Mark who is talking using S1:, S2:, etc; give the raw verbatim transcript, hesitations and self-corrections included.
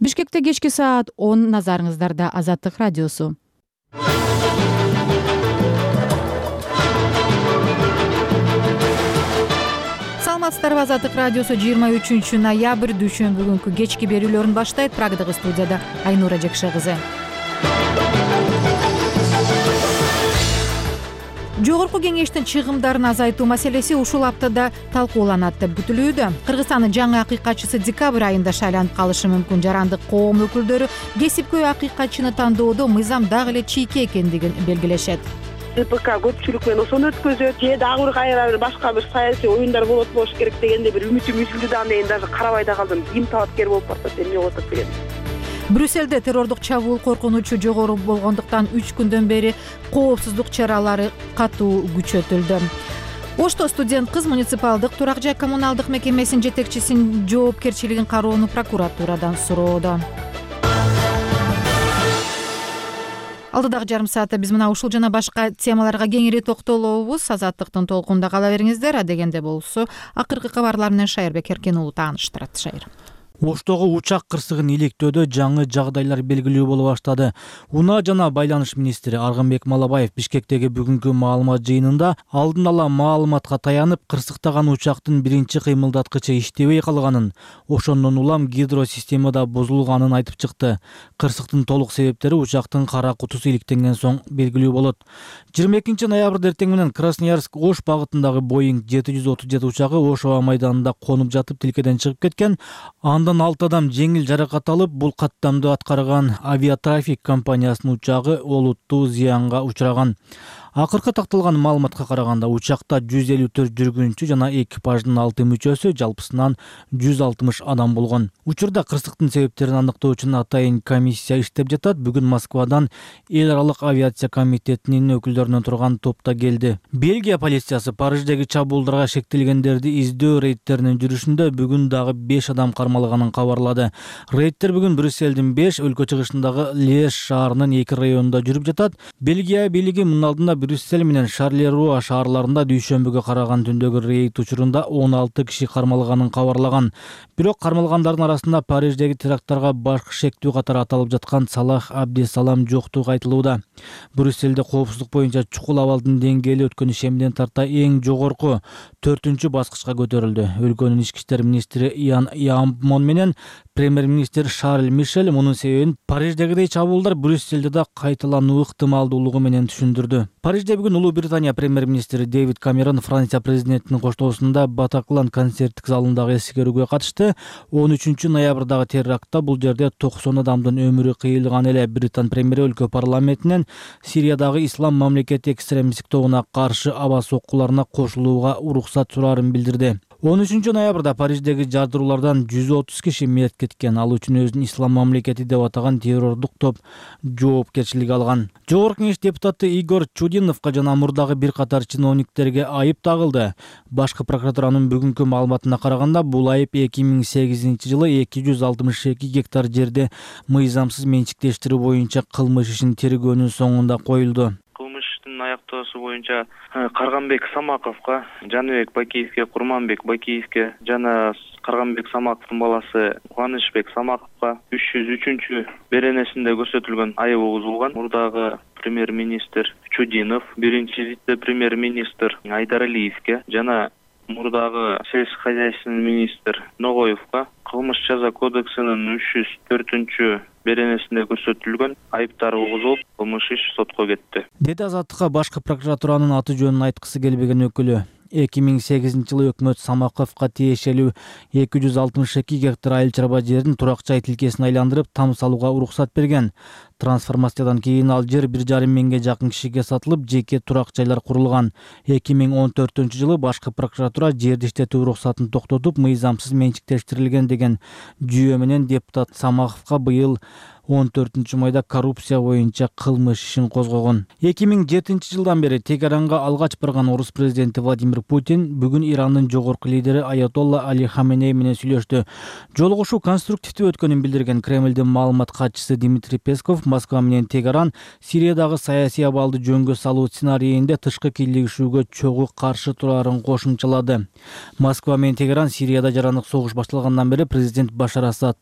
S1: Бишкекте кечки саат он, назарыңыздарда Азаттык радиосу. Саламатсыздарбы, Азаттык радиосу жыйырма үчүнчү ноябрь дүйшөмбү күнкү кечки берүүлөрүн баштайт. Прагдагы студияда Айнура Жекше кызы. Жогорку кеңештин чыгымдарын азайтуу маселеси ушул аптада талкууланат деп күтүлүүдө. Кыргызстандын жаңы акыйкатчысы декабрь айында шайланып калышы мүмкүн. Жарандык коом өкүлдөрү кесипкөй акыйкатчыны тандоодо мыйзам дагы эле чийке экендигин белгилешет.
S2: ТПК көпчүлүк менен ошону өткөзөт, же дагы бир кайра бир башка бир саясий оюндар болот болуш керек дегенде бир үмүтүм үзүлдү да, анан даже карабай да калдым. Ким талапкер болуп барса эмне болуп атат деген.
S1: Брюссельде террордук чабуул коркунучу жогору болгондуктан үч күндөн бери коопсуздук чаралары катуу күчөтүлдү. Ошто студент кыз муниципалдык турак жай коммуналдык мекемесинин жетекчисинин жоопкерчилигин кароону прокуратурадан суроодо. Алдыдагы жарым саатта биз мына ушул жана башка темаларга кеңири токтолобуз. Азаттыктын толкунда кала бериңиздер. Адегенде болсо акыркы кабарлар менен Шайырбек Эркен уулу тааныштырат. Шайыр.
S3: Оштогу учак кырсыгын иликтөөдө жаңы жагдайлар белгилүү боло баштады. Унаа жана байланыш министри Аргынбек Малабаев Бишкектеги бүгүнкү маалымат жыйынында алдын ала маалыматка таянып, кырсыктаган учактын биринчи кыймылдаткычы иштебей калганын, ошондон улам гидросистемада бузулганын айтып чыкты. Кырсыктын толук себептери учактын кара кутусу иликтенген соң белгилүү болот. жыйырма экинчи ноябрь эртең менен Красноярск-Ош багытындагы Боинг жети жүз отуз жети учагы Ош аба майданында конуп жатып тилкеден чыгып кеткен. Андан алты адам жеңил жаракат алып, бул каттамды аткарган авиатрафик компаниясынын учагы олуттуу зыянга учураган. Акыркы такталган маалыматка караганда учакта жүз элүү төрт жүргүнчү жана экипаждын алты мүчөсү, жалпысынан жүз алтымыш адам болгон. Учурда кырсыктын себептерин аныктоо үчүн атайын комиссия иштеп жатат. Бүгүн Москвадан эл аралык авиация комитетинин өкүлдөрүнөн турган топ да келди. Бельгия полициясы Париждеги чабуулдарга шектелгендерди издөө рейдтеринин жүрүшүндө бүгүн дагы беш адам кармалганын кабарлады. Рейдтер бүгүн Брюссельдин беш, өлкө чыгышындагы Леш шаарынын эки районунда жүрүп жатат. Бельгия бийлиги мунун алдында Брюссель менен Шарлеруа шаарларында дүйшөмбүгө караган түндөгү рейд учурунда он алты киши кармалганын кабарлаган. Бирок кармалгандардын арасында Париждеги теракттарга баш шектүү катары аталып жаткан Салах Абдесалам жоктугу айтылууда. Брюссельде коопсуздук боюнча чукул абалдын деңгээли өткөн ишемден тарта эң жогорку төртүнчү баскычка көтөрүлдү. Өлкөнүн ички иштер министри Ян Ямпмон менен премьер-министр Шарль Мишель мунун себебин Париждегидей чабуулдар Брюссельде да кайталануу ыктымалдуулугу менен түшүндүрдү. Парижде бүгүн Улуу Британия премьер-министри Дэвид Камерон Франция президентинин коштоосунда Батаклан концерттик залындагы эскерүүгө катышты. он үчүнчү ноябрдагы терактта бул жерде токсон адамдын өмүрү кыйылган эле. Британ премьери өлкө парламентинен Сириядагы ислам мамлекети экстремисттик тобуна каршы аба соккуларына кошулууга уруксат сураарын билдирди. он үчүнчү ноябрда Париждеги жардыруулардан жүз отуз киши мерт кеткен. Ал үчүн өзүн ислам мамлекети деп атаган террордук топ жоопкерчилик алган. Жогорку кеңеш депутаты Игорь Чудиновго жана мурдагы бир катар чиновниктерге айып тагылды. Башкы прокуратуранын бүгүнкү маалыматына караганда, бул айып эки миң сегизинчи жылы эки жүз алтымыш эки гектар жерде мыйзамсыз менчиктештирүү боюнча кылмыш ишин тергөөнүн соңунда коюлду.
S4: Аяктоосу боюнча Карганбек Самаковго, Жаныбек Бакиевге, Курманбек Бакиевге жана Карганбек Самаковдун баласы Кубанычбек Самаковго үч жүз үчүнчү беренесинде көрсөтүлгөн айып угузулган. Мурдагы премьер-министр Чудинов, биринчи вице-премьер-министр Айдаралиевге жана мурдагы сельскохозяйственный министр Ногоевго кылмыш жаза кодексинин үч жүз төртүнчү беренесинде көрсөтүлгөн айыптар угузулуп, кылмыш иш сотко кетти.
S3: Деди Азаттыкка башкы прокуратуранын аты жөнүн айткысы келбеген өкүлү. эки миң сегизинчи жылы өкмөт Самаковго тиешелүү эки жүз алтымыш эки гектар айыл чарба жерин турак жай тилкесине айландырып там салууга уруксат берген. Трансформациядан кийин ал жер бир жарым миңге жакын кишиге сатылып, жеке турак жайлар курулган. эки миң он төртүнчү жылы башкы прокуратура жерди иштетүү уруксатын токтотуп, мыйзамсыз менчиктештирилген деген жүйө менен депутат Самаковго быйыл он төртүнчү майда коррупция боюнча кылмыш ишин козгогон. эки миң жетинчи жылдан бери Тегеранга алгач барган орус президенти Владимир Путин бүгүн Ирандын жогорку лидери Аятолла Али Хаменей менен сүйлөштү. Жолугушуу конструктивдүү өткөнүн билдирген Кремлдин маалымат катчысы Дмитрий Песков Москва менен Тегеран Сириядагы саясий абалды жөнгө салуу сценарийинде тышкы кийлигишүүгө чогуу каршы турарын кошумчалады. Москва менен Тегеран Сирияда жарандык согуш башталгандан бери президент Башар Асад